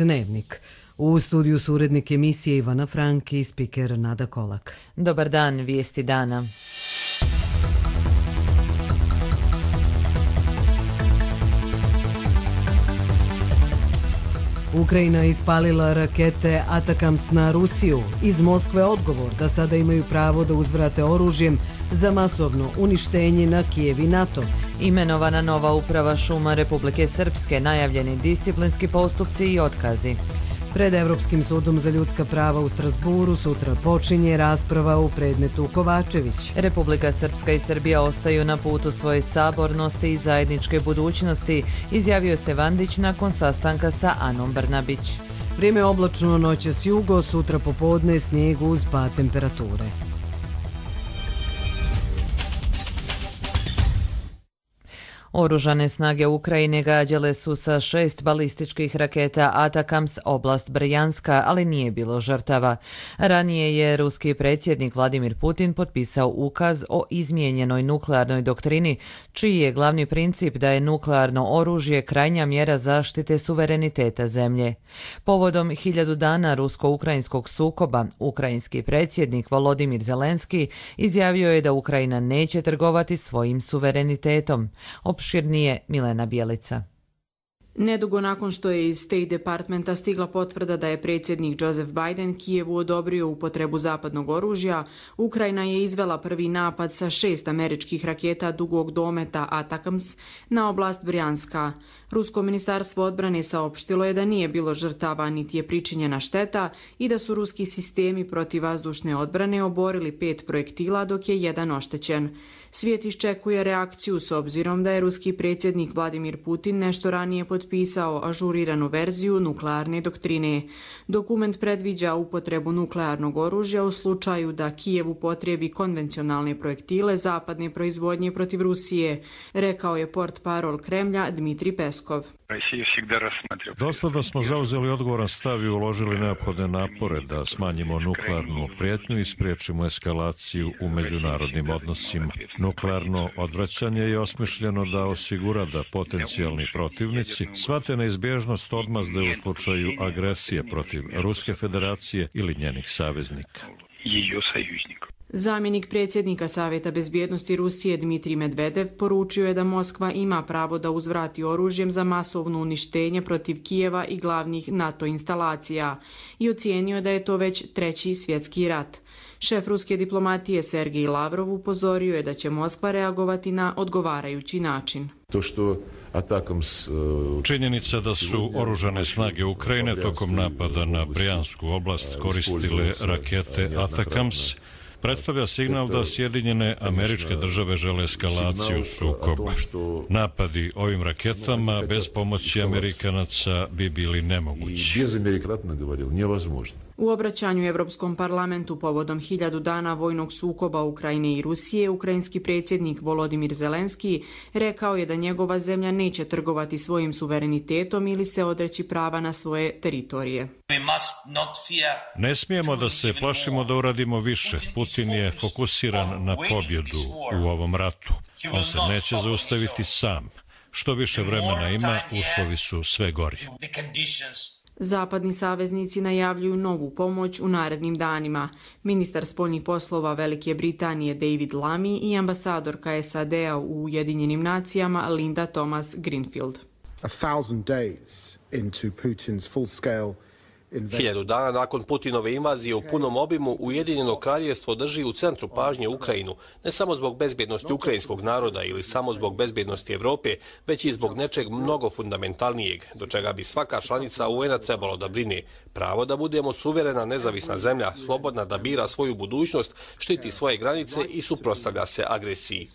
Dnevnik. U studiju su urednik emisije Ivana Frank i spiker Nada Kolak. Dobar dan, vijesti dana. Ukrajina ispalila rakete Atakams na Rusiju. Iz Moskve odgovor da sada imaju pravo da uzvrate oružjem za masovno uništenje na Kijev i NATO. Imenovana nova uprava šuma Republike Srpske, najavljeni disciplinski postupci i otkazi. Pred Evropskim sudom za ljudska prava u Strasburu sutra počinje rasprava u predmetu Kovačević. Republika Srpska i Srbija ostaju na putu svoje sabornosti i zajedničke budućnosti, izjavio Stevandić nakon sastanka sa Anom Brnabić. Vrijeme oblačno, noćas jugo, sutra popodne snijeg uz pad temperature. Oružane snage Ukrajine gađale su sa 6 balističkih raketa Atakams oblast Brjanska, ali nije bilo žrtava. Ranije je ruski predsjednik Vladimir Putin potpisao ukaz o izmijenjenoj nuklearnoj doktrini, čiji je glavni princip da je nuklearno oružje krajnja mjera zaštite suvereniteta zemlje. Povodom 1000 dana rusko-ukrajinskog sukoba, ukrajinski predsjednik Volodimir Zelenski izjavio je da Ukrajina neće trgovati svojim suverenitetom. Opširnije Milena Bjelica. Nedugo nakon što je iz State Departmenta stigla potvrda da je predsjednik Joseph Biden Kijevu odobrio upotrebu zapadnog oružja, Ukrajina je izvela prvi napad sa 6 američkih raketa dugog dometa Atakams na oblast Brjanska. Rusko ministarstvo odbrane saopštilo je da nije bilo žrtava niti je pričinjena šteta i da su ruski sistemi protivvazdušne odbrane oborili 5 projektila dok je jedan oštećen. Svijet iščekuje reakciju s obzirom da je ruski predsjednik Vladimir Putin nešto ranije potpisao ažuriranu verziju nuklearne doktrine. Dokument predviđa upotrebu nuklearnog oružja u slučaju da Kijev upotrebi konvencionalne projektile zapadne proizvodnje protiv Rusije, rekao je portparol Kremlja Dmitri Peskov. Dosledno smo zauzeli odgovoran stav i uložili neophodne napore da smanjimo nuklearnu prijetnju i spriječimo eskalaciju u međunarodnim odnosima. Nuklearno odvraćanje je osmišljeno da osigura da potencijalni protivnici shvate neizbježnost odmazde u slučaju agresije protiv Ruske federacije ili njenih saveznika. Zamjenik predsjednika Savjeta bezbjednosti Rusije Dmitrij Medvedev poručio je da Moskva ima pravo da uzvrati oružjem za masovno uništenje protiv Kijeva i glavnih NATO instalacija i ocijenio da je to već 3. svjetski rat. Šef ruske diplomatije Sergej Lavrov upozorio je da će Moskva reagovati na odgovarajući način. Činjenica da su oružane snage Ukrajine tokom napada na Brjansku oblast koristile rakete Atakams predstavlja signal da Sjedinjene Američke Države žele eskalaciju sukoba. Napadi ovim raketama bez pomoći Amerikanaca bi bili nemogući. U obraćanju Europskom parlamentu povodom 1000 dana vojnog sukoba Ukrajine i Rusije, ukrajinski predsjednik Volodimir Zelenski rekao je da njegova zemlja neće trgovati svojim suverenitetom ili se odreći prava na svoje teritorije. Ne smijemo da se plašimo da uradimo više. Putin je fokusiran na pobjedu u ovom ratu. On se neće zaustaviti sam. Što više vremena ima, uslovi su sve gori. Zapadni saveznici najavljuju novu pomoć u narednim danima. Ministar spoljnih poslova Velike Britanije David Lammy i ambasadorka SAD-a u Ujedinjenim nacijama Linda Thomas Greenfield. 1000 dana nakon Putinove invazije u punom obimu, Ujedinjeno kraljevstvo drži u centru pažnje Ukrajinu, ne samo zbog bezbjednosti ukrajinskog naroda ili samo zbog bezbjednosti Evrope, već i zbog nečeg mnogo fundamentalnijeg, do čega bi svaka članica UN-a trebalo da brine. Pravo da budemo suverena, nezavisna zemlja, slobodna da bira svoju budućnost, štiti svoje granice i suprotstavlja se agresiji.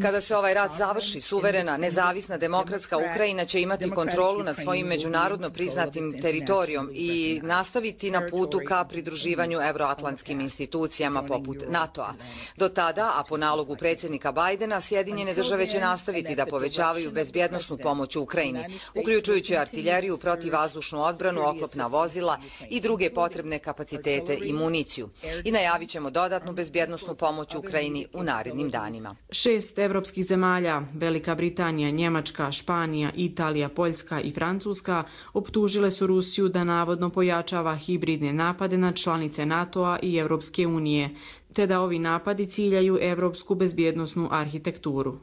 Kada se ovaj rat završi, suverena, nezavisna, demokratska Ukrajina će imati kontrolu nad svojim međunarodno priznatim teritorijom i nastaviti na putu ka pridruživanju evroatlantskim institucijama poput NATO-a. Do tada, a po nalogu predsjednika Bajdena, Sjedinjene države će nastaviti da povećavaju bezbjednosnu pomoć u Ukrajini, uključujući artiljeriju, protivvazdušnu odbranu odbranu, oklopna vozila i druge potrebne kapacitete i municiju. I najavit ćemo dodatnu bezbjednosnu pomoć Ukrajini u narednim danima. 6 evropskih zemalja, Velika Britanija, Njemačka, Španija, Italija, Poljska i Francuska, optužile su Rusiju da navodno pojačava hibridne napade na članice NATO-a i Evropske unije, te da ovi napadi ciljaju evropsku bezbjednosnu arhitekturu.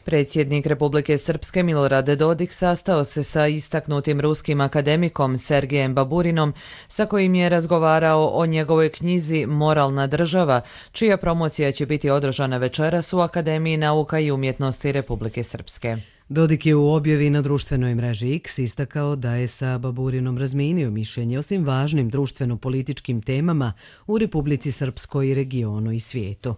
Predsjednik Republike Srpske Milorad Dodik sastao se sa istaknutim ruskim akademikom Sergejem Baburinom, sa kojim je razgovarao o njegovoj knjizi Moralna država, čija promocija će biti održana večeras u Akademiji nauka i umjetnosti Republike Srpske. Dodik je u objavi na društvenoj mreži X istakao da je sa Baburinom razmijenio mišljenje o svim važnim društveno-političkim temama u Republici Srpskoj i regionu i svijetu.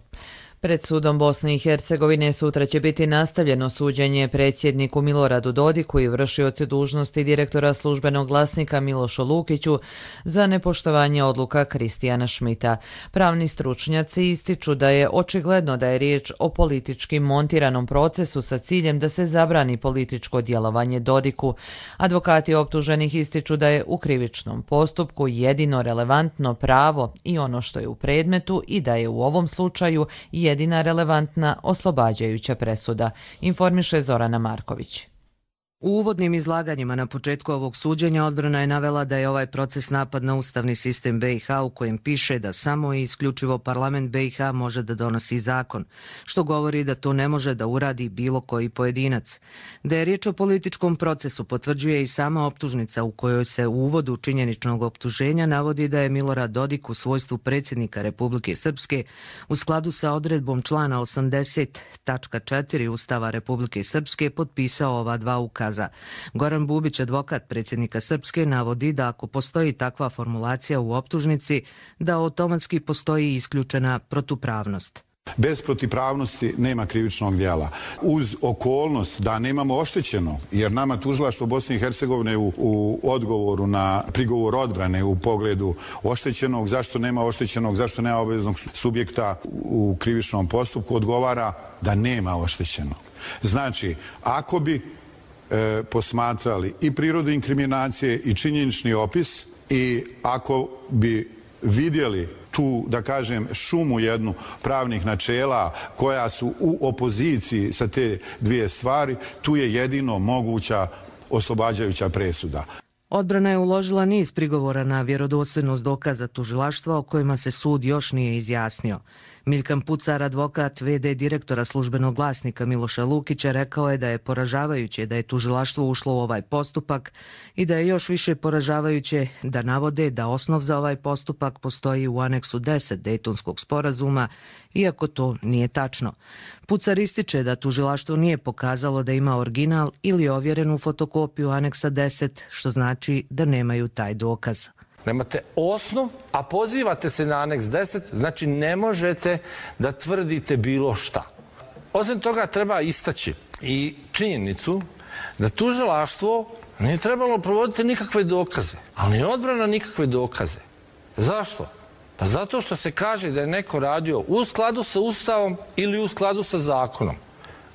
Pred sudom Bosne i Hercegovine sutra će biti nastavljeno suđenje predsjedniku Miloradu Dodiku i vršiocu dužnosti direktora službenog glasnika Milošu Lukiću za nepoštovanje odluka Kristijana Šmita. Pravni stručnjaci ističu da je očigledno da je riječ o politički montiranom procesu sa ciljem da se zabrani političko djelovanje Dodiku. Advokati optuženih ističu da je u krivičnom postupku jedino relevantno pravo i ono što je u predmetu i da je u ovom slučaju jedina relevantna oslobađajuća presuda, informiše Zorana Marković. U uvodnim izlaganjima na početku ovog suđenja odbrana je navela da je ovaj proces napad na ustavni sistem BiH u kojem piše da samo i isključivo parlament BiH može da donosi zakon, što govori da to ne može da uradi bilo koji pojedinac. Da je riječ o političkom procesu potvrđuje i sama optužnica u kojoj se u uvodu činjeničnog optuženja navodi da je Milorad Dodik u svojstvu predsjednika Republike Srpske u skladu sa odredbom člana 80.4 Ustava Republike Srpske potpisao ova dva ukaza. Goran Bubić, advokat predsjednika Srpske, navodi da ako postoji takva formulacija u optužnici, da automatski postoji isključena protupravnost. Bez protipravnosti nema krivičnog djela. Uz okolnost da nemamo oštećeno, jer nama tužilaštvo Bosne i Hercegovine u odgovoru na prigovor odbrane u pogledu oštećenog, zašto nema oštećenog, zašto nema obaveznog subjekta u krivičnom postupku, odgovara da nema oštećenog. Znači, ako bi posmatrali i prirodu inkriminacije i činjenični opis i ako bi vidjeli tu, da kažem, šumu jednu pravnih načela koja su u opoziciji sa te dvije stvari, tu je jedino moguća oslobađajuća presuda. Odbrana je uložila niz prigovora na vjerodostojnost dokaza tužilaštva o kojima se sud još nije izjasnio. Milkan Pucar, advokat VD direktora službenog glasnika Miloša Lukića, rekao je da je poražavajuće da je tužilaštvo ušlo u ovaj postupak i da je još više poražavajuće da navode da osnov za ovaj postupak postoji u aneksu 10 Dejtonskog sporazuma, iako to nije tačno. Pucar ističe da tužilaštvo nije pokazalo da ima original ili ovjerenu fotokopiju aneksa 10, što znači da nemaju taj dokaz. Nemate osnov, a pozivate se na aneks 10, znači ne možete da tvrdite bilo šta. Osim toga treba istaći i činjenicu da tužilaštvo nije trebalo provoditi nikakve dokaze, ali ni odbrana nikakve dokaze. Zašto? Pa zato što se kaže da je neko radio u skladu sa Ustavom ili u skladu sa zakonom.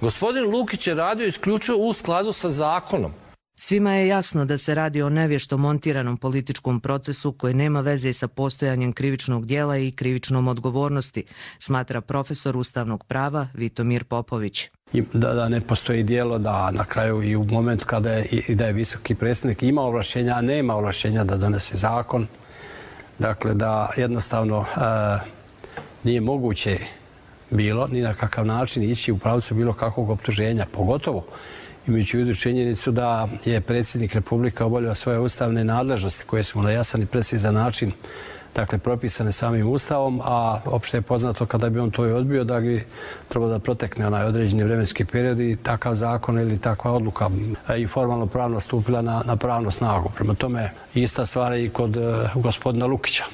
Gospodin Lukić je radio isključivo u skladu sa zakonom. Svima je jasno da se radi o nevješto montiranom političkom procesu koji nema veze sa postojanjem krivičnog dijela i krivičnom odgovornosti, smatra profesor ustavnog prava Vitomir Popović. Da ne postoji dijelo, da na kraju i u momentu kada je visoki predstavnik ima ovlašćenja, a nema ovlašćenja da donese zakon, dakle da jednostavno nije moguće bilo ni na kakav način ići u pravcu bilo kakvog optuženja, pogotovo imajući u vidu činjenicu da je predsjednik Republike obavljao svoje ustavne nadležnosti koje su na jasan i precizan način dakle, propisane samim Ustavom, a opšte je poznato kada bi on to i odbio da bi trebalo da protekne onaj određeni vremenski period i takav zakon ili takva odluka i formalno pravno stupila na pravnu snagu. Prema tome, ista stvar je i kod gospodina Lukića.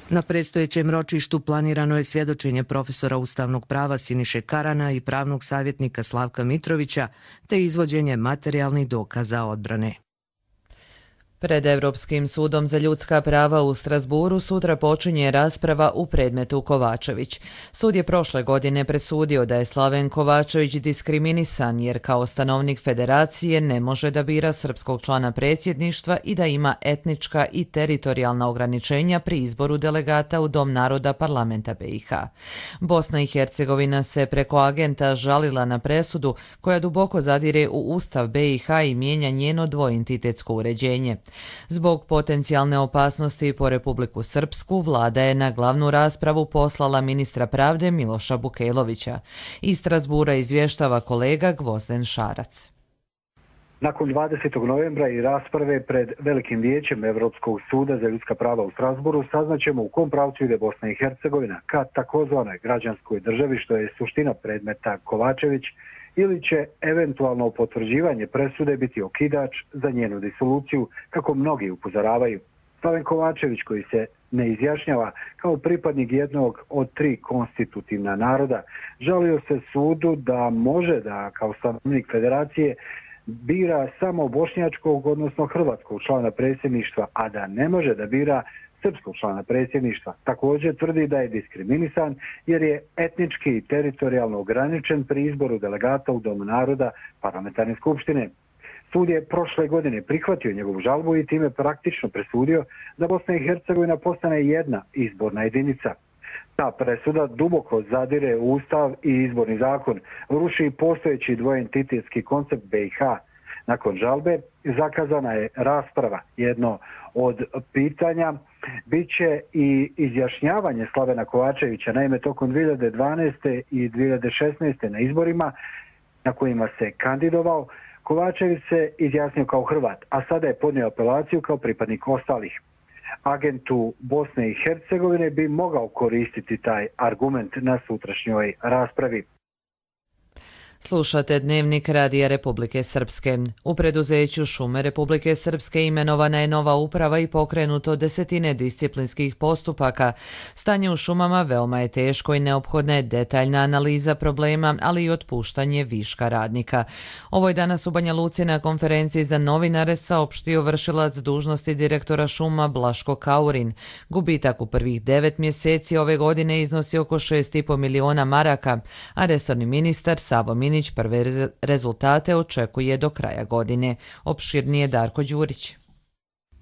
Na predstojećem ročištu planirano je svjedočenje profesora ustavnog prava Siniše Karana i pravnog savjetnika Slavka Mitrovića, te izvođenje materijalnih dokaza odbrane. Pred Europskim sudom za ljudska prava u Strasburu sutra počinje rasprava u predmetu Kovačević. Sud je prošle godine presudio da je Slaven Kovačević diskriminisan jer kao stanovnik federacije ne može da bira srpskog člana predsjedništva i da ima etnička i teritorijalna ograničenja pri izboru delegata u Dom naroda parlamenta BiH. Bosna i Hercegovina se preko agenta žalila na presudu koja duboko zadire u Ustav BiH i mijenja njeno dvoentitetsko uređenje. Zbog potencijalne opasnosti po Republiku Srpsku, vlada je na glavnu raspravu poslala ministra pravde Miloša Bukejlovića. Iz Strasbura izvještava kolega Gvozden Šarac. Nakon 20. novembra i rasprave pred Velikim vijećem Europskog suda za ljudska prava u Strasburu saznaćemo u kom pravcu ide Bosna i Hercegovina ka takozvanoj građanskoj državi, što je suština predmeta Kovačević, ili će eventualno potvrđivanje presude biti okidač za njenu disoluciju, kako mnogi upozoravaju. Slaven Kovačević, koji se ne izjašnjava kao pripadnik jednog od 3 konstitutivna naroda, žalio se sudu da može da kao stanovnik federacije bira samo bošnjačkog, odnosno hrvatskog člana predsjedništva, a da ne može da bira srpskog člana predsjedništva. Također tvrdi da je diskriminisan jer je etnički i teritorijalno ograničen pri izboru delegata u Domu naroda parlamentarne skupštine. Sud je prošle godine prihvatio njegovu žalbu i time praktično presudio da Bosna i Hercegovina postane jedna izborna jedinica. Ta presuda duboko zadire u Ustav i izborni zakon, ruši postojeći dvoentitetski koncept BiH. Nakon žalbe zakazana je rasprava. Jedno od pitanja biće i izjašnjavanje Slavena Kovačevića. Naime, tokom 2012. i 2016. na izborima na kojima se kandidovao, Kovačević se izjasnio kao Hrvat, a sada je podnio apelaciju kao pripadnik ostalih. Agentu Bosne i Hercegovine bi mogao koristiti taj argument na sutrašnjoj raspravi. Slušate Dnevnik Radija Republike Srpske. U preduzeću Šume Republike Srpske imenovana je nova uprava i pokrenuto desetine disciplinskih postupaka. Stanje u šumama veoma je teško i neophodna je detaljna analiza problema, ali i otpuštanje viška radnika. Ovo je danas u Banja Luci na konferenciji za novinare saopštio vršilac dužnosti direktora šuma Blaško Kaurin. Gubitak u prvih 9 mjeseci ove godine iznosi oko 6,5 miliona maraka, a resorni ministar Savo Minić prve rezultate očekuje do kraja godine. Opširnije Darko Đurić.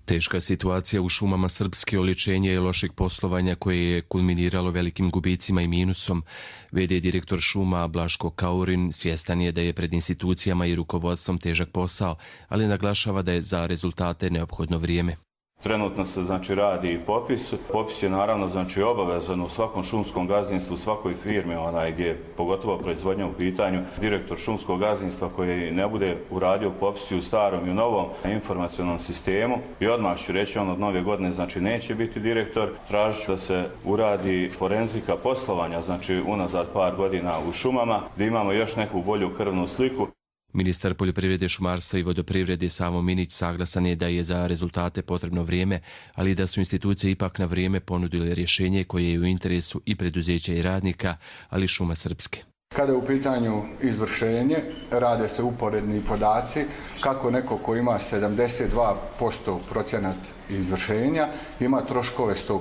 Teška situacija u šumama Srpske oličenje je lošeg poslovanja koje je kulminiralo velikim gubicima i minusom. VD direktor šuma Blaško Kaurin svjestan je da je pred institucijama i rukovodstvom težak posao, ali naglašava da je za rezultate neophodno vrijeme. Trenutno se radi popis. Popis je naravno obavezan u svakom šumskom gazdinstvu, u svakoj firmi gdje je pogotovo proizvodnja u pitanju. Direktor šumskog gazdinstva koji ne bude uradio popis u starom i u novom informacionalnom sistemu i odmah ću reći od nove godine neće biti direktor. Tražit ću da se uradi forenzika poslovanja unazad par godina u šumama, da imamo još neku bolju krvnu sliku. Ministar poljoprivrede, šumarstva i vodoprivrede Savo Minić saglasan je da je za rezultate potrebno vrijeme, ali da su institucije ipak na vrijeme ponudile rješenje koje je u interesu i preduzeća i radnika, ali šuma Srpske. Kada je u pitanju izvršenje, rade se uporedni podaci kako neko ko ima 72% procenat izvršenja ima troškove 100%.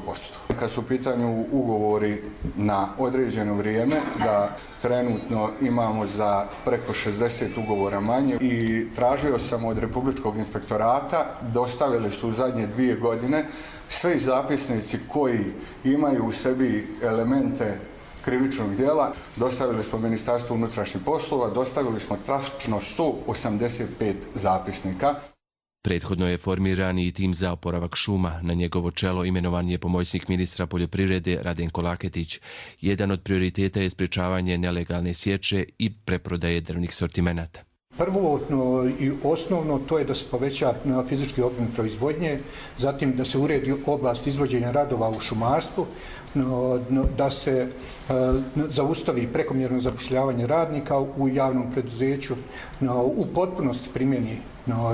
Kad su u pitanju ugovori na određeno vrijeme, da trenutno imamo za preko 60 ugovora manje i tražio sam od Republičkog inspektorata, dostavili su u zadnje 2 godine sve zapisnici koji imaju u sebi elemente krivičnog djela, dostavili smo Ministarstvu unutrašnjih poslova, dostavili smo tačno 185 zapisnika. Prethodno je formiran i tim za oporavak šuma. Na njegovo čelo imenovan je pomoćnik ministra poljoprivrede Radenko Laketić. Jedan od prioriteta je sprječavanje nelegalne sječe i preprodaje drvnih sortimenata. Prvo i osnovno to je da se poveća fizički obim proizvodnje, zatim da se uredi oblast izvođenja radova u šumarstvu, da se zaustavi prekomjerno zapošljavanje radnika u javnom preduzeću, u potpunosti primjeni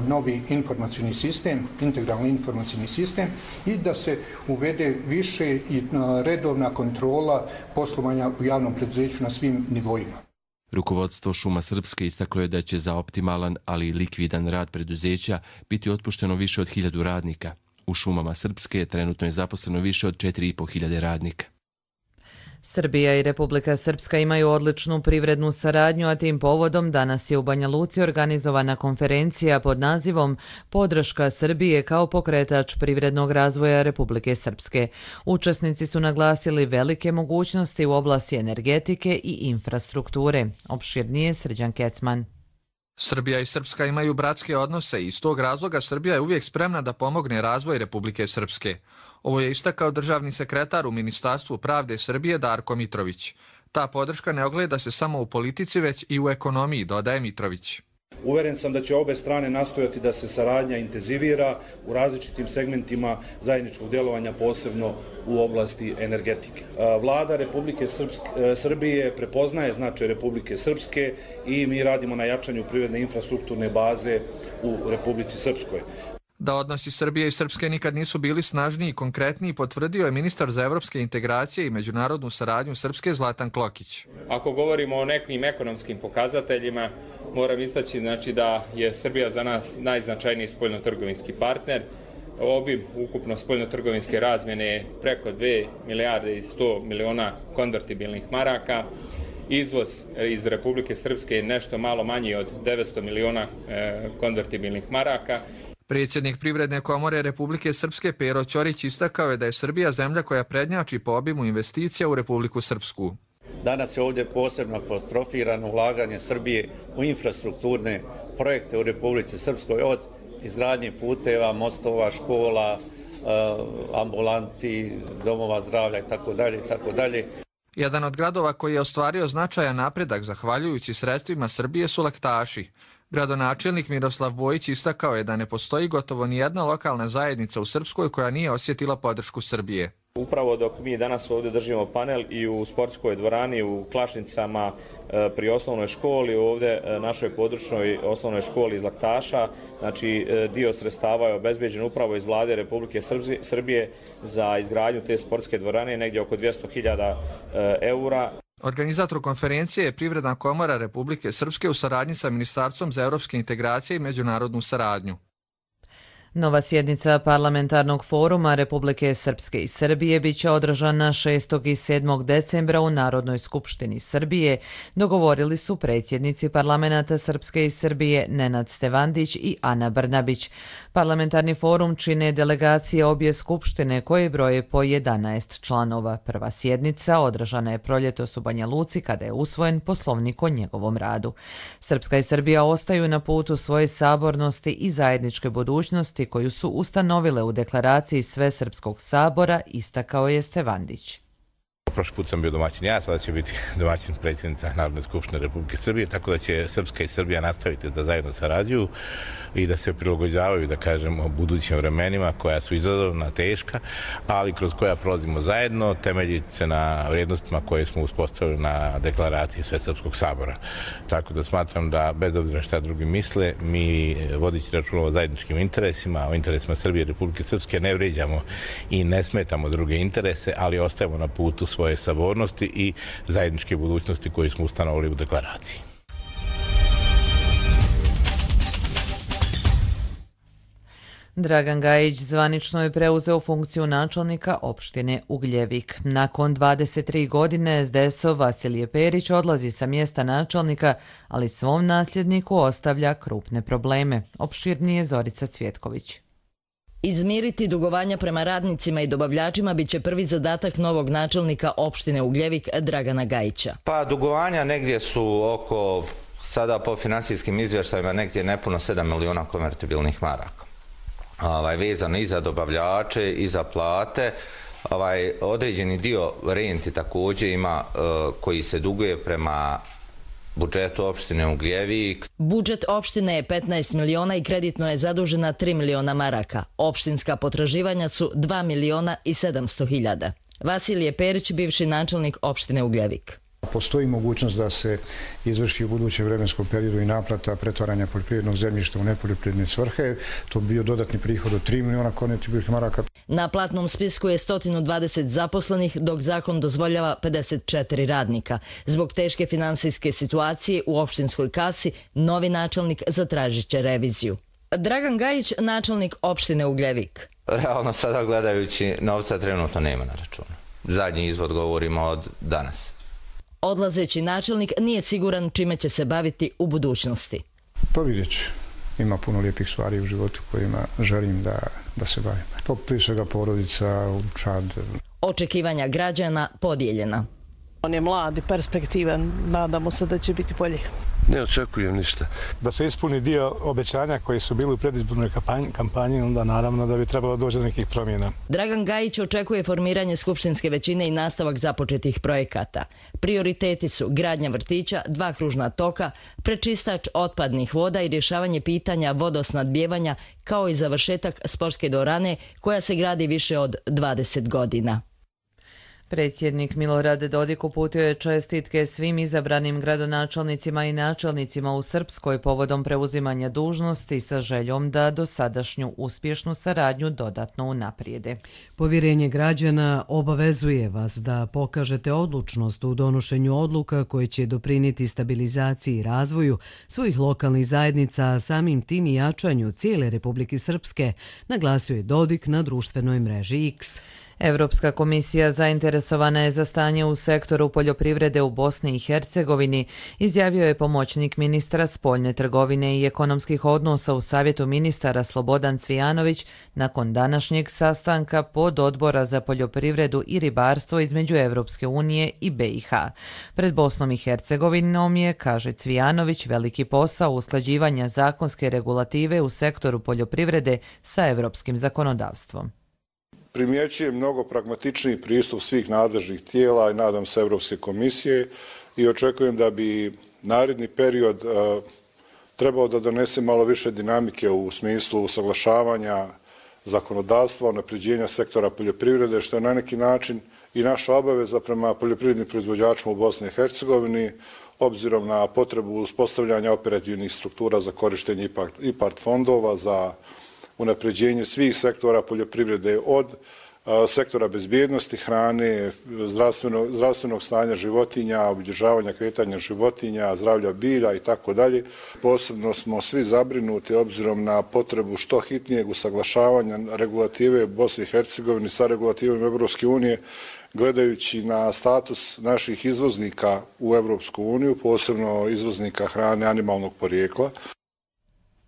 novi informacijni sistem, integralni informacijni sistem i da se uvede više i redovna kontrola poslovanja u javnom preduzeću na svim nivoima. Rukovodstvo Šuma Srpske istaklo je da će za optimalan, ali likvidan rad preduzeća biti otpušteno više od 1000 radnika. U Šumama Srpske trenutno je zaposleno više od 4500 radnika. Srbija i Republika Srpska imaju odličnu privrednu saradnju, a tim povodom danas je u Banja Luci organizovana konferencija pod nazivom Podrška Srbije kao pokretač privrednog razvoja Republike Srpske. Učesnici su naglasili velike mogućnosti u oblasti energetike i infrastrukture. Opširnije Srđan Kecman. Srbija i Srpska imaju bratske odnose i iz tog razloga Srbija je uvijek spremna da pomogne razvoj Republike Srpske. Ovo je istakao državni sekretar u Ministarstvu pravde Srbije Darko Mitrović. Ta podrška ne ogleda se samo u politici, već i u ekonomiji, dodaje Mitrović. Uveren sam da će obe strane nastojati da se saradnja intenzivira u različitim segmentima zajedničkog djelovanja, posebno u oblasti energetike. Vlada Republike Srbije prepoznaje značaj Republike Srpske i mi radimo na jačanju privredne infrastrukturne baze u Republici Srpskoj. Da odnosi Srbije i Srpske nikad nisu bili snažniji i konkretniji, potvrdio je ministar za evropske integracije i međunarodnu saradnju Srpske Zlatan Klokić. Ako govorimo o nekim ekonomskim pokazateljima, moram istaći da je Srbija za nas najznačajniji spoljnotrgovinski partner. Obim ukupno spoljnotrgovinske razmjene je preko 2 milijarde i 100 miliona konvertibilnih maraka. Izvoz iz Republike Srpske je nešto malo manji od 900 miliona konvertibilnih maraka. Predsjednik Privredne komore Republike Srpske Pero Ćorić istakao je da je Srbija zemlja koja prednjači po obimu investicija u Republiku Srpsku. Danas je ovdje posebno apostrofirano ulaganje Srbije u infrastrukturne projekte u Republici Srpskoj, od izgradnje puteva, mostova, škola, ambulanti, domova zdravlja itd. Jedan od gradova koji je ostvario značajan napredak zahvaljujući sredstvima Srbije su Laktaši. Gradonačelnik Miroslav Bojić istakao je da ne postoji gotovo ni jedna lokalna zajednica u Srpskoj koja nije osjetila podršku Srbije. Upravo dok mi danas ovdje držimo panel i u sportskoj dvorani, u Klašnicama, pri osnovnoj školi, ovdje našoj područnoj osnovnoj školi iz Laktaša, znači dio sredstava je obezbeđen upravo iz vlade Republike Srbije za izgradnju te sportske dvorane, negdje oko 200.000 eura. Organizator konferencije je Privredna komora Republike Srpske u saradnji sa Ministarstvom za evropske integracije i međunarodnu saradnju. Nova sjednica Parlamentarnog foruma Republike Srpske i Srbije biće održana 6. i 7. decembra u Narodnoj skupštini Srbije, dogovorili su predsjednici parlamenta Srpske i Srbije Nenad Stevandić i Ana Brnabić. Parlamentarni forum čine delegacije obje skupštine koje broje po 11 članova. Prva sjednica održana je proljetos u Banja Luci kada je usvojen poslovnik o njegovom radu. Srpska i Srbija ostaju na putu svoje sabornosti i zajedničke budućnosti koju su ustanovile u deklaraciji Svesrpskog sabora, istakao je Stevandić. Prošli put sam bio domaćin ja, sada će biti domaćin predsjednica Narodne skupštine Republike Srbije, tako da će Srpska i Srbija nastaviti da zajedno sarađuju i da se prilagođavaju, da kažemo, budućim vremenima koja su izazovna, teška, ali kroz koja prolazimo zajedno, temeljiti se na vrijednostima koje smo uspostavili na deklaraciji Svesrpskog sabora. Tako da smatram da, bez obzira šta drugi misle, mi vodići računa o zajedničkim interesima, o interesima Srbije i Republike Srpske, ne vrijeđamo i ne smetamo druge interese, ali ostajemo na putu svoje sabornosti i zajedničke budućnosti koje smo ustanovili u deklaraciji. Dragan Gajić zvanično je preuzeo funkciju načelnika opštine Ugljevik. Nakon 23 godine SDS-ov Vasilije Perić odlazi sa mjesta načelnika, ali svom nasljedniku ostavlja krupne probleme. Opširnije Zorica Cvjetković. Izmiriti dugovanja prema radnicima i dobavljačima biće prvi zadatak novog načelnika opštine Ugljevik Dragana Gajića. Pa dugovanja negdje su oko, sada po finansijskim izvještajima, negdje nepuno 7 miliona konvertibilnih maraka. Vezano i za dobavljače i za plate. Određeni dio renti također ima koji se duguje prema budžetu opštine Ugljevik. Budžet opštine je 15 miliona i kreditno je zadužena 3 miliona maraka. Opštinska potraživanja su 2 miliona i 700 hiljada. Vasilije Perić, bivši načelnik opštine Ugljevik. Postoji mogućnost da se izvrši u budućem vremenskom periodu i naplata pretvaranja poljoprivrednog zemljišta u nepoljoprivredne svrhe. To bi bio dodatni prihod od 3 miliona konvertibilnih maraka. Na platnom spisku je 120 zaposlenih, dok zakon dozvoljava 54 radnika. Zbog teške finansijske situacije u opštinskoj kasi, novi načelnik zatražit će reviziju. Dragan Gajić, načelnik opštine Ugljevik. Realno sada gledajući, novca trenutno nema na računu. Zadnji izvod govorimo od danas. Odlazeći načelnik nije siguran čime će se baviti u budućnosti. Pa vidjet ću. Ima puno lijepih stvari u životu kojima želim da se bavim. Prije svega porodica, učad. Očekivanja građana podijeljena. On je mlad i perspektivan, nadamo se da će biti bolji. Ne očekujem ništa. Da se ispuni dio obećanja koji su bili u predizbornoj kampanji, onda naravno da bi trebalo doći do nekih promjena. Dragan Gajić očekuje formiranje skupštinske većine i nastavak započetih projekata. Prioriteti su gradnja vrtića, 2 kružna toka, prečistač otpadnih voda i rješavanje pitanja vodosnadbijevanja, kao i završetak sportske dvorane koja se gradi više od 20 godina. Predsjednik Milorad Dodik uputio je čestitke svim izabranim gradonačelnicima i načelnicima u Srpskoj povodom preuzimanja dužnosti sa željom da dosadašnju uspješnu saradnju dodatno unaprijede. Povjerenje građana obavezuje vas da pokažete odlučnost u donošenju odluka koje će doprinijeti stabilizaciji i razvoju svojih lokalnih zajednica, a samim tim i jačanju cijele Republike Srpske, naglasio je Dodik na društvenoj mreži X. Europska komisija zainteresovana je za stanje u sektoru poljoprivrede u Bosni i Hercegovini, izjavio je pomoćnik ministra spoljne trgovine i ekonomskih odnosa u Savjetu ministara Slobodan Cvijanović nakon današnjeg sastanka pododbora za poljoprivredu i ribarstvo između Europske unije i BiH. Pred Bosnom i Hercegovinom je, kaže Cvijanović, veliki posao usklađivanja zakonske regulative u sektoru poljoprivrede sa europskim zakonodavstvom. Primjećujem mnogo pragmatičniji pristup svih nadležnih tijela i nadam se Europske komisije i očekujem da bi naredni period trebao da donese malo više dinamike u smislu usaglašavanja zakonodavstva, unapređenja sektora poljoprivrede, što je na neki način i naša obaveza prema poljoprivrednim proizvođačima u Bosni i Hercegovini, obzirom na potrebu uspostavljanja operativnih struktura za korištenje IPARD fondova, za unapređenje svih sektora poljoprivrede, od sektora bezbjednosti hrane, zdravstvenog stanja životinja, obilježavanja kretanja životinja, zdravlja bilja i tako dalje. Posebno smo svi zabrinuti obzirom na potrebu što hitnijeg usaglašavanja regulative Bosne i Hercegovine sa regulativom Europske unije, gledajući na status naših izvoznika u Europsku uniju, posebno izvoznika hrane animalnog porijekla.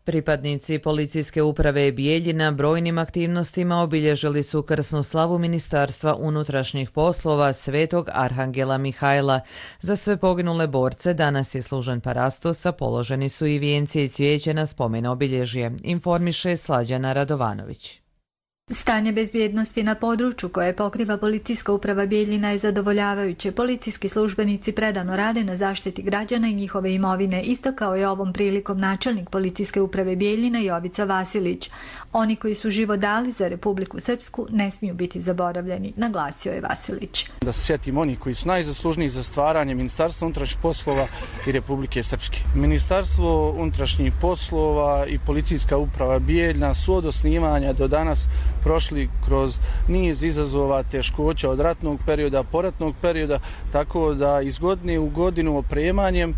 Pripadnici policijske uprave Bijeljina brojnim aktivnostima obilježili su krsnu slavu Ministarstva unutrašnjih poslova Svetog Arhangela Mihajla. Za sve poginule borce danas je služen parastos, a položeni su i vijenci i cvijeće na spomen obilježje, informiše Slađana Radovanović. Stanje bezbjednosti na području koje pokriva policijska uprava Bijeljina je zadovoljavajuće. Policijski službenici predano rade na zaštiti građana i njihove imovine, istakao je ovom prilikom načelnik policijske uprave Bijeljina Jovica Vasilić. Oni koji su život dali za Republiku Srpsku ne smiju biti zaboravljeni, naglasio je Vasilić. Da se sjetimo onih koji su najzaslužniji za stvaranje Ministarstva unutrašnjih poslova i Republike Srpske. Ministarstvo unutrašnjih poslova i policijska uprava Bijeljina su od osnivanja do danas prošli kroz niz izazova, teškoća od ratnog perioda, poratnog perioda, tako da iz godine u godinu opremanjem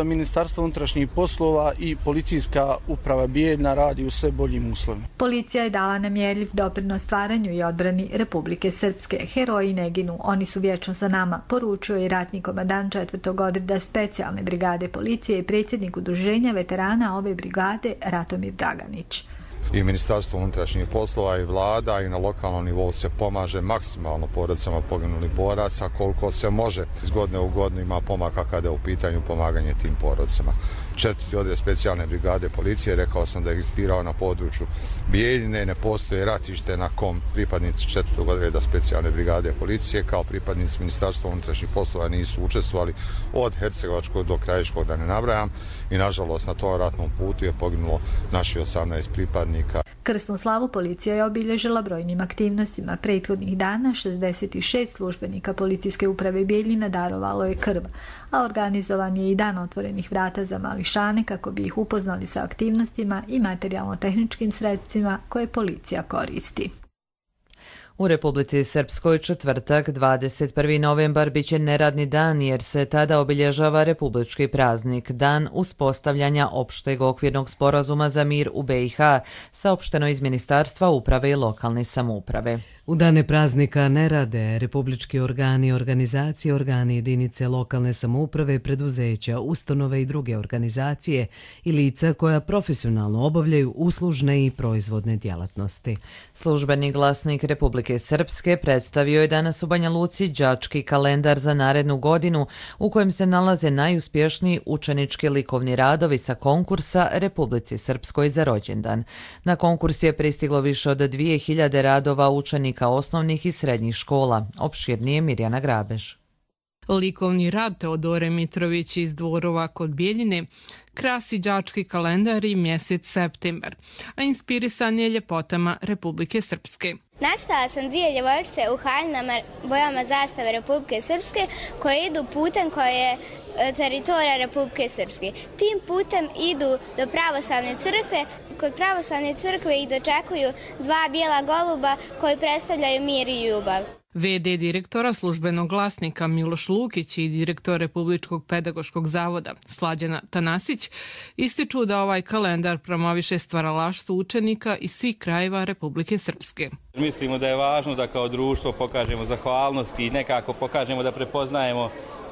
Ministarstva unutrašnjih poslova i policijska uprava Bijeljina radi u sve boljim uslovima. Policija je dala nemjerljiv doprinos stvaranju i odbrani Republike Srpske. Heroji ne ginu, oni su vječno za nama, poručio je ratni komandant 4. odreda specijalne brigade policije i predsjednik udruženja veterana ove brigade Ratomir Daganić. I Ministarstvo unutrašnjih poslova i vlada i na lokalnom nivou se pomaže maksimalno porodicama poginulih boraca koliko se može. Iz godine u godinu ima pomaka kada je u pitanju pomaganje tim porodicama. 4. odred specijalne brigade policije, rekao sam da je egzistirao na području Bijeljine, ne postoje ratište na kom pripadnici 4. odreda specijalne brigade policije kao pripadnici Ministarstva unutrašnjih poslova nisu učestvovali od Hercegovačkog do Krajiškog, da ne nabrajam, i nažalost na tom ratnom putu je poginulo naši 18 pripadnika službenika. Krsnu slavu policija je obilježila brojnim aktivnostima. Prethodnih dana 66 službenika policijske uprave Bijeljina darovalo je krv, a organizovan je i dan otvorenih vrata za mališane kako bi ih upoznali sa aktivnostima i materijalno-tehničkim sredstvima koje policija koristi. U Republici Srpskoj četvrtak 21. novembar biće neradni dan jer se tada obilježava republički praznik, dan uspostavljanja opšteg okvirnog sporazuma za mir u BiH, saopšteno iz Ministarstva uprave i lokalne samouprave. U dane praznika ne rade republički organi, organizacije, organi jedinice lokalne samouprave, preduzeća, ustanove i druge organizacije i lica koja profesionalno obavljaju uslužne i proizvodne djelatnosti. Službeni glasnik Republike Srpske predstavio je danas u Banja Luci đački kalendar za narednu godinu u kojem se nalaze najuspješniji učenički likovni radovi sa konkursa Republici Srpskoj za rođendan. Na konkurs je pristiglo više od 2000 radova učenika osnovnih i srednjih škola. Opširnije Mirjana Grabež. Likovni rad Teodore Mitrović iz Dvorova kod Bijeljine krasi đački kalendar i mjesec septembar, a inspirisan je ljepotama Republike Srpske. Nacrtala sam 2 djevojčice u haljinama bojama zastave Republike Srpske koje idu putem koje je teritorija Republike Srpske. Tim putem idu do pravoslavne crkve. Kod pravoslavne crkve ih dočekuju 2 bijela goluba koji predstavljaju mir i ljubav. VD direktora službenog glasnika Miloš Lukić i direktor Republičkog pedagoškog zavoda Slađana Tanasić ističu da ovaj kalendar promoviše stvaralaštvo učenika iz svih krajeva Republike Srpske. Mislimo da je važno da kao društvo pokažemo zahvalnost i nekako pokažemo da prepoznajemo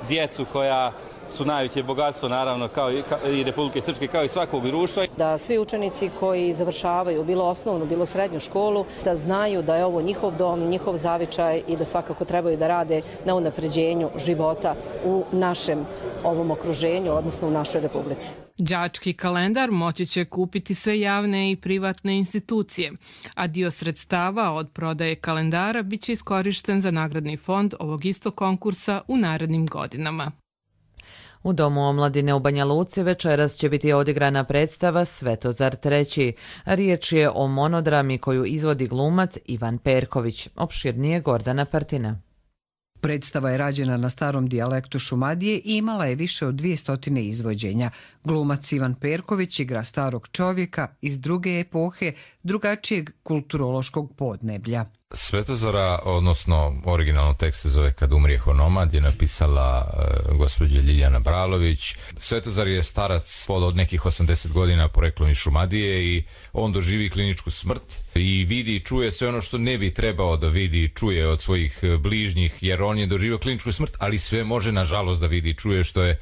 djecu koja su najveće bogatstvo, naravno, kao i Republike Srpske, kao i svakog društva. Da svi učenici koji završavaju bilo osnovnu, bilo srednju školu, da znaju da je ovo njihov dom, njihov zavičaj i da svakako trebaju da rade na unapređenju života u našem ovom okruženju, odnosno u našoj Republici. Đački kalendar moći će kupiti sve javne i privatne institucije, a dio sredstava od prodaje kalendara bit će iskorišten za nagradni fond ovog istog konkursa u narednim godinama. U Domu omladine u Banja Luci večeras će biti odigrana predstava Svetozar III. Riječ je o monodrami koju izvodi glumac Ivan Perković. Opširnije Gordana Partina. Predstava je rađena na starom dijalektu Šumadije i imala je više od 200 izvođenja. Glumac Ivan Perković igra starog čovjeka iz druge epohe, drugačijeg kulturološkog podneblja. Svetozara, odnosno originalno tekst se zove Kad umrijeh onomad, je napisala gospođa Ljiljana Bralović. Svetozar je starac od nekih 80 godina poreklom iz Šumadije i on doživi kliničku smrt i vidi i čuje sve ono što ne bi trebao da vidi i čuje od svojih bližnjih, jer on je doživio kliničku smrt, ali sve može nažalost da vidi i čuje, što je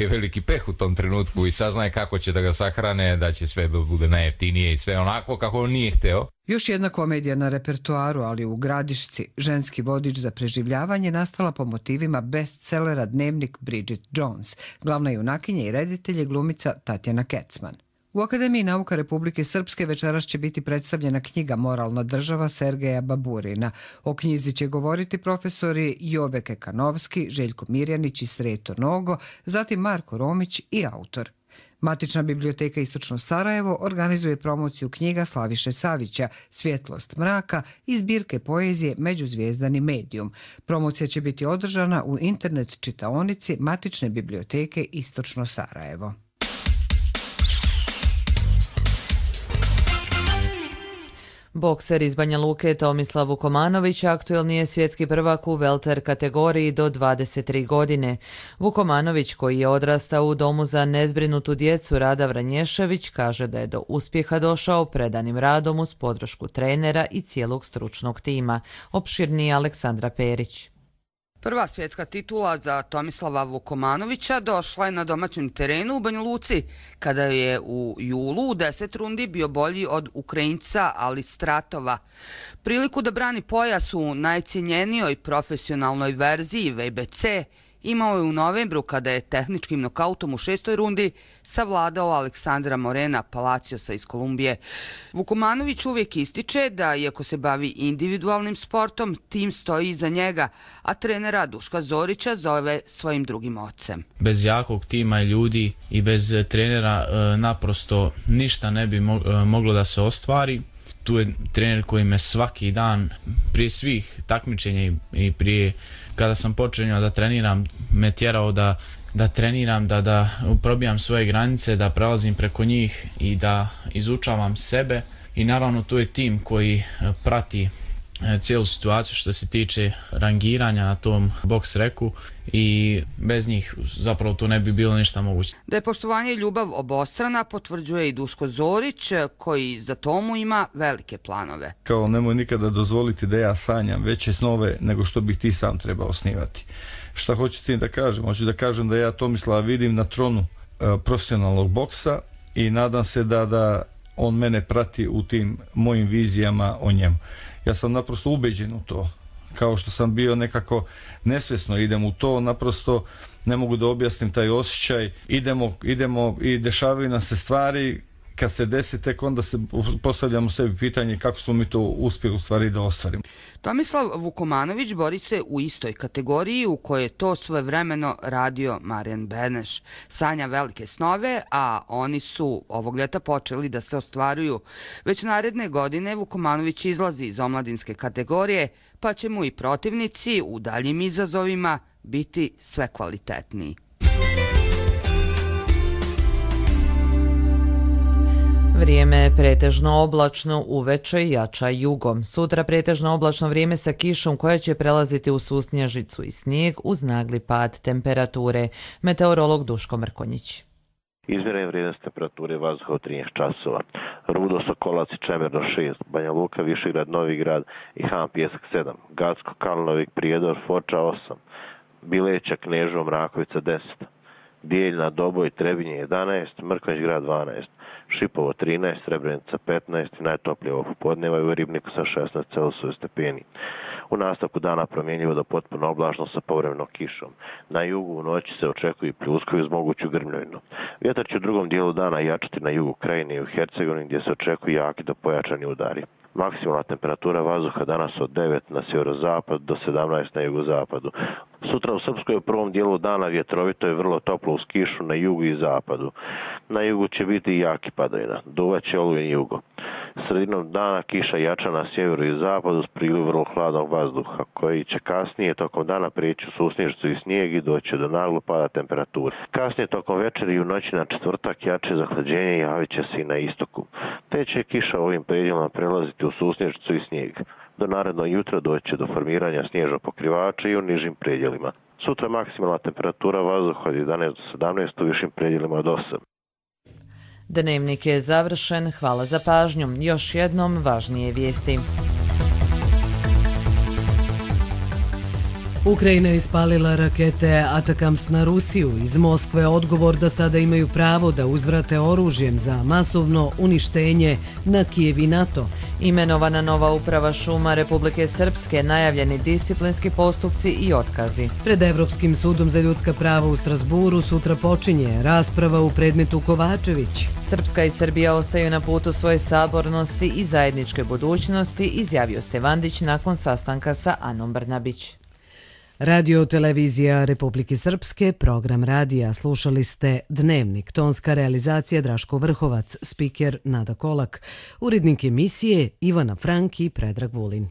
veliki peh u tom trenutku, i saznaje kako će da ga sahrane, da će sve bude najjeftinije i sve onako kako on nije hteo. Još jedna komedija na repertoaru, ali u Gradišci, ženski vodič za preživljavanje, nastala po motivima bestsellera Dnevnik Bridget Jones. Glavna junakinja i reditelj je glumica Tatjana Kecman. U Akademiji nauka Republike Srpske večeras će biti predstavljena knjiga Moralna država Sergeja Baburina. O knjizi će govoriti profesori Jobe Kekanovski, Željko Mirjanić i Sreto Nogo, zatim Marko Romić i autor. Matična biblioteka Istočno Sarajevo organizuje promociju knjiga Slaviše Savića Svjetlost mraka i zbirke poezije Međuzvijezdani medijum. Promocija će biti održana u internet čitaonici Matične biblioteke Istočno Sarajevo. Bokser iz Banja Luke Tomislav Vukomanović aktuelni je svjetski prvak u welter kategoriji do 23 godine. Vukomanović, koji je odrastao u domu za nezbrinutu djecu Rada Vranješević, kaže da je do uspjeha došao predanim radom uz podršku trenera i cijelog stručnog tima. Opširniji Aleksandra Perić. Prva svjetska titula za Tomislava Vukomanovića došla je na domaćem terenu u Banja Luci, kada je u julu u 10 rundi bio bolji od Ukrajinca Alistratova. Priliku da brani pojas u najcijenjenijoj profesionalnoj verziji VBC imao je u novembru kada je tehničkim nokautom u 6. rundi savladao Aleksandra Morena Palaciosa iz Kolumbije. Vukomanović uvijek ističe da, iako se bavi individualnim sportom, tim stoji iza njega, a trenera Duška Zorića zove svojim drugim ocem. Bez jakog tima i ljudi i bez trenera naprosto ništa ne bi moglo da se ostvari. Tu je trener koji me svaki dan, prije svih takmičenja i prije kada sam počeo da treniram, me tjerao da treniram, da probijam svoje granice, da prelazim preko njih i da izučavam sebe. I naravno tu je tim koji prati cijelu situaciju što se tiče rangiranja na tom boks reku i bez njih zapravo to ne bi bilo ništa moguće. Da je poštovanje i ljubav obostrana potvrđuje i Duško Zorić koji za tomu ima velike planove. Kao nemoj nikada dozvoliti da ja sanjam veće snove nego što bih ti sam trebao osnivati. Šta hoću s tim da kažem? Hoću da kažem da ja Tomislava vidim na tronu profesionalnog boksa i nadam se da on mene prati u tim mojim vizijama o njemu. Ja sam naprosto ubeđen u to. Kao što sam bio nekako nesvjesno idem u to, naprosto ne mogu da objasnim taj osjećaj. Idemo i dešavaju nam se stvari, kad se desi tek onda se postavljamo sebi pitanje kako smo mi to uspjeli u stvari da ostvarimo. Tomislav Vukomanović bori se u istoj kategoriji u kojoj je to svojevremeno radio Marijan Beneš. Sanja velike snove, a oni su ovog ljeta počeli da se ostvaruju. Već naredne godine Vukomanović izlazi iz omladinske kategorije, pa će mu i protivnici u daljim izazovima biti sve kvalitetniji. Vrijeme je pretežno oblačno, uveče jača jugom. Sutra pretežno oblačno vrijeme sa kišom koja će prelaziti u susnježicu i snijeg uz nagli pad temperature. Meteorolog Duško Mrkonjić. Izmjerene vrijednosti temperature vazduha od 13 časova. Rudo, Sokolac i Čemerno 6, Banja Luka, Višegrad, Novi Grad i Han Pjesak 7, Gacko, Kalnovik, Prijedor, Foča 8, Bileća, Kneževo, Mrakovica 10, Bijeljna, Doboj, Trebinje 11, Mrkonjić Grad 12, Šipovo 13, Srebrenica 15 i najtoplije ovo popodneva je u Ribniku sa 16 Celzijusovih stepeni. U nastavku dana promjenjivo do potpuno oblačno sa povremenom kišom. Na jugu u noći se očekuju pljuskovi uz moguću grmljavinu. Vjetar će u drugom dijelu dana jačati na jugu Krajine i u Hercegovini gdje se očekuju jaki do pojačani udari. Maksimalna temperatura vazduha danas od 9 na sjeverozapadu do 17 na jugozapadu. Sutra u Srpskoj u prvom dijelu dana vjetrovito je vrlo toplo uz kišu na jugu i zapadu. Na jugu će biti jaki padavina, duvaće olujen jugo. Sredinom dana kiša jača na sjeveru i zapadu s priliv vrlo hladnog vazduha, koji će kasnije tokom dana prijeći u susnježicu i snijeg i doći do naglog pada temperature. Kasnije tokom večeri i u noći na četvrtak jače zahlađenje javit će se i na istoku. Te će kiša ovim predjelima prelaziti u susnježicu i snijeg. Do narednog jutra doći do formiranja snježnog pokrivača i u nižim predjelima. Sutra maksimalna temperatura vazduha od 11 do 17, u višim predjelima od 8. Dnevnik je završen, hvala za pažnju. Još jednom važnije vijesti. Ukrajina je ispalila rakete Atakams na Rusiju. Iz Moskve odgovor da sada imaju pravo da uzvrate oružjem za masovno uništenje na Kijev i NATO. Imenovana nova uprava šuma Republike Srpske, najavljeni disciplinski postupci i otkazi. Pred Evropskim sudom za ljudska prava u Strasburu sutra počinje rasprava u predmetu Kovačević. Srpska i Srbija ostaju na putu svoje sabornosti i zajedničke budućnosti, izjavio Stevandić nakon sastanka sa Anom Brnabić. Radio televizija Republike Srpske, program radija. Slušali ste Dnevnik, tonska realizacija Draško Vrhovac, spiker Nada Kolak, urednik emisije Ivana Frank i Predrag Vulin.